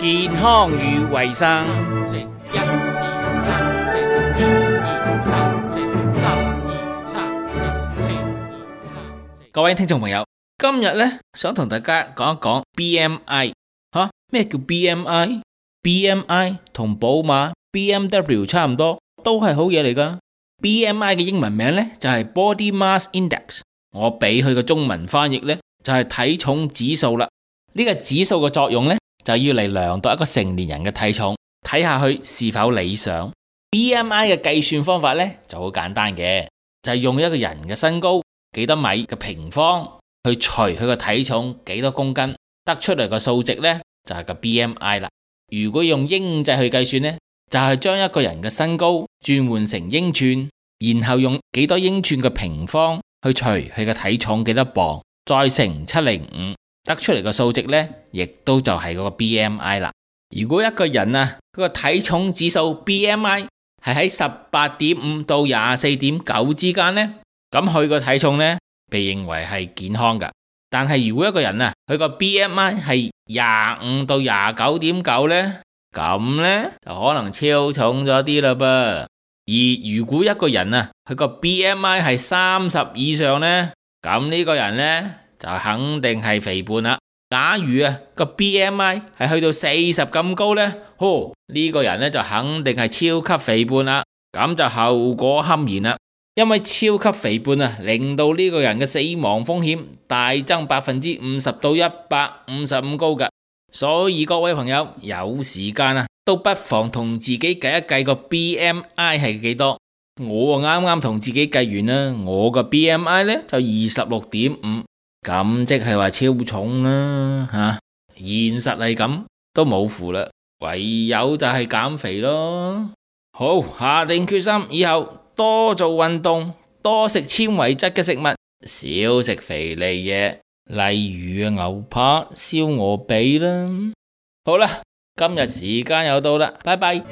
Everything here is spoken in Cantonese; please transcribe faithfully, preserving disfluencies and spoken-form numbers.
健康與衛生。食一二三，食一二三，食三二三，食四二三。各位聽眾朋友，今日呢，想同大家講一講 B M I。吓，咩叫 B M I？B M I 同寶馬 B M W 差唔多，都係好嘢嚟噶。B M I 嘅英文名呢，就係 Body Mass Index，我俾佢個中文翻譯呢，就係體重指數啦。呢個指數嘅作用呢，就要嚟量度一個成年人嘅體重，睇下佢是否理想。B M I 嘅計算方法呢，就好簡單嘅，就係用一個人嘅身高幾多米嘅平方去除佢個體重幾多公斤，得出嚟個數值呢，就係個 B M I 啦。如果用英制去計算呢，就係將一個人嘅身高轉換成英寸，然後用幾多英寸嘅平方去除佢嘅體重幾多磅，再乘七零五，得出嚟個數值呢，亦都就係嗰個 B M I 啦。如果一個人啊，佢個體重指數 B M I 係喺十八點五到廿四點九之間呢，咁佢個體重呢，被認為係健康噶。但係如果一個人啊，佢個 B M I 係廿五到廿九點九呢，咁呢就可能超重咗啲啦噃。而如果一個人啊，佢個 B M I 係三十以上呢，咁呢個人呢就肯定係肥胖啦。假如啊個 B M I 係去到四十咁高呢，呵，呢個人呢就肯定係超級肥胖啦。咁就後果堪言啦。因為超級肥胖啊，令到呢個人嘅死亡風險大增百分之五十到一百五十五高噶。所以各位朋友有時間啊，都不妨同自己計一計個 B M I 係幾多。我啱啱同自己計完啦，我個 B M I 呢就二十六點五，咁即係話超重啦吓、啊。現實係咁都冇符啦，唯有就係減肥咯。好，下定決心以後多做運動，多食纖維質嘅食物，少食肥膩嘢，例如牛扒、燒鵝髀啦。好啦，今日時間又到啦，拜拜。